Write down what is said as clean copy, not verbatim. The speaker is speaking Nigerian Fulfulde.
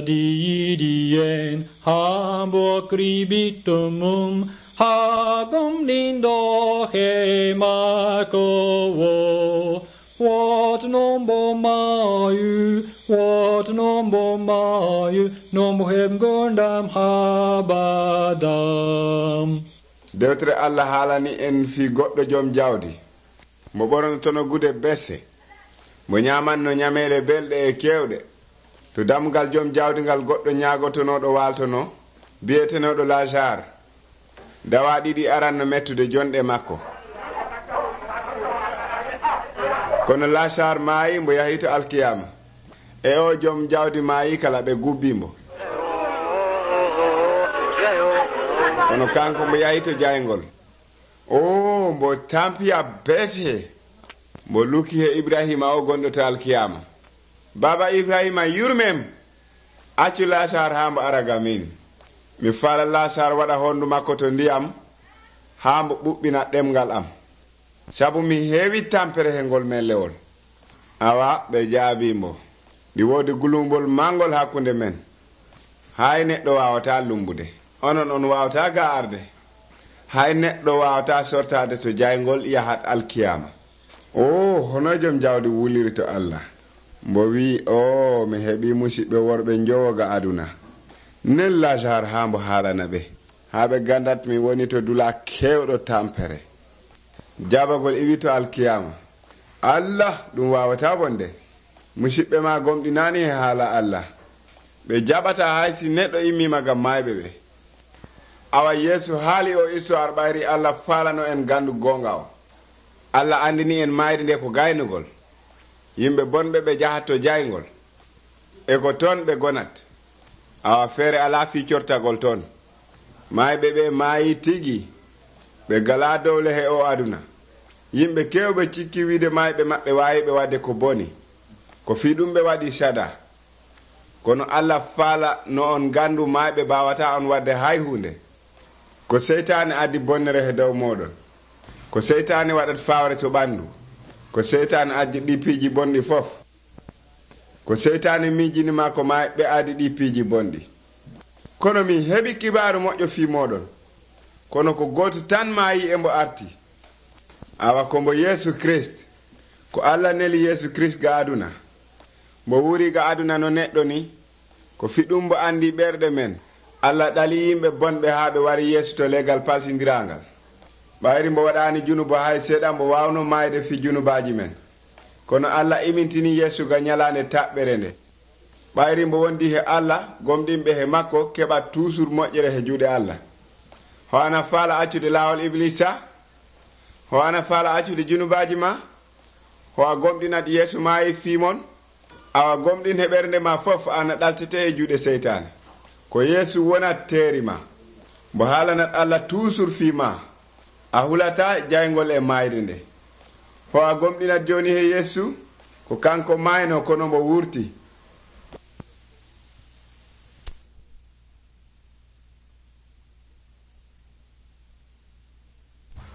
kadi yiɗi en haa mbo kribitto mum haa gomɗinɗo he maako wo. Wat nombo maayu nombo heɓgondam habadam. Dewtere Allah haalani en fi goɗɗo joom jawdi mo ɓornotono gude besse, mo ñamanno ñamele belɗe e kewɗe. To damgal joom jawdi ngal goɗɗo ñaagotonoɗo waltono biyetenoɗo Lazare dawa ɗiɗi aranno mettude jonɗe makko. Kono Lazare maayi mbo yahi to alkiyama, e o joom jawdi maayi kala ɓe gubbimo. Kono kanko mbo yahi to jaygol, mbo tampiya beete, mbo luki he Ibrahima o gonɗo to alkiyama. Baba Ibrahima yurmem, accu Lazare ha mbo araga min. Mi faala Lazare waɗa hondu makko to ndiyam ha mbo ɓuɓɓina ɗemgal am, sabu mi heewi tampere he ngol mellewol. Awa ɓe jaabimbo. Ɗi woodi gulumbol mangol hakkunde men. Hay neɗɗo wawata lumbude, onon on wawata ga arde. Hay neɗɗo wawata sortade to jaygol yahat alkiyama. Hono joom jawdi wuliri to Allah, mbo wi mi heɓi musidɓe worɓe jowoga aduna. Nen Lazare ha mbo haalana ɓe, ha ɓe gandat mi woni to dula kewɗo tampere. Jabagol iwi to alkiyama. Allah ɗum wawata bonde. Musidɓe ma gomɗinani he haala Allah, ɓe jaɓata haysi neɗɗo immima gam mayɓe ɓe. Awa Yeesu haali o histoire ɓayri Allah faalano en gandu gonga o. Allah andini en mayde nde ko gaynugol. Yimɓe bonɓe ɓe jahat to jaygol, e ko toon ɓe gonat. Awa feere ala fi cortagol toon. Mayɓe ɓe maayi tigi, ɓe gala dowle he o aduna. Yimɓe kewɓe cikki wiide mayɓe maɓɓe wawi ɓe wadde ko boni, ko fi ɗum ɓe waɗi sada. Kono Allah faala no on gandu mayɓe bawata on wadde hay hunde. Ko seytane addi bonnere he dow moɗon, ko seytane waɗat fawre to ɓandu, ko seytane addi ɗippiji bonɗi fof, ko seytane mijinima ko mayɓe addi ɗippiji bonɗi. Kono mi heɓi kibaru moƴƴo fi moɗon, kono ko goto tan maayi e mbo arti. Awa ko mbo Yesu Christ, ko Allah neli Yesu Christ ga aduna. Mbo wuri ga aduna no neɗɗo ni, ko fiɗum mbo andi ɓerɗe men. Allah ɗali yimɓe bonɓe ha ɓe wari Yesu to legal paltidirangal. ɓayri mbo waɗani junuba hay seeɗa mbo wawno mayde fi junubaji men. Kono Allah imintini Yesu ga ñalande taɓɓere nde. ɓayri mbo wondi he Allah, gomɗinɓe he makko keɓa toujours moƴƴere he juuɗe Allah. Ho ana faala accude laawol Iblisa? Ho ana faala accude junubaji ma? Ho a gomɗinat Yeesu maayi fimon? Awa gomɗin he ɓernde ma fof ana ɗaltete e juuɗe seytane. Ko Yeesu wonat teerima, mbo haalanat Allah toujours fima, a hulata jaygol e mayde nde. Ho a gomɗinat joni he Yeesu? Ko kanko mayno kono mbo wurti.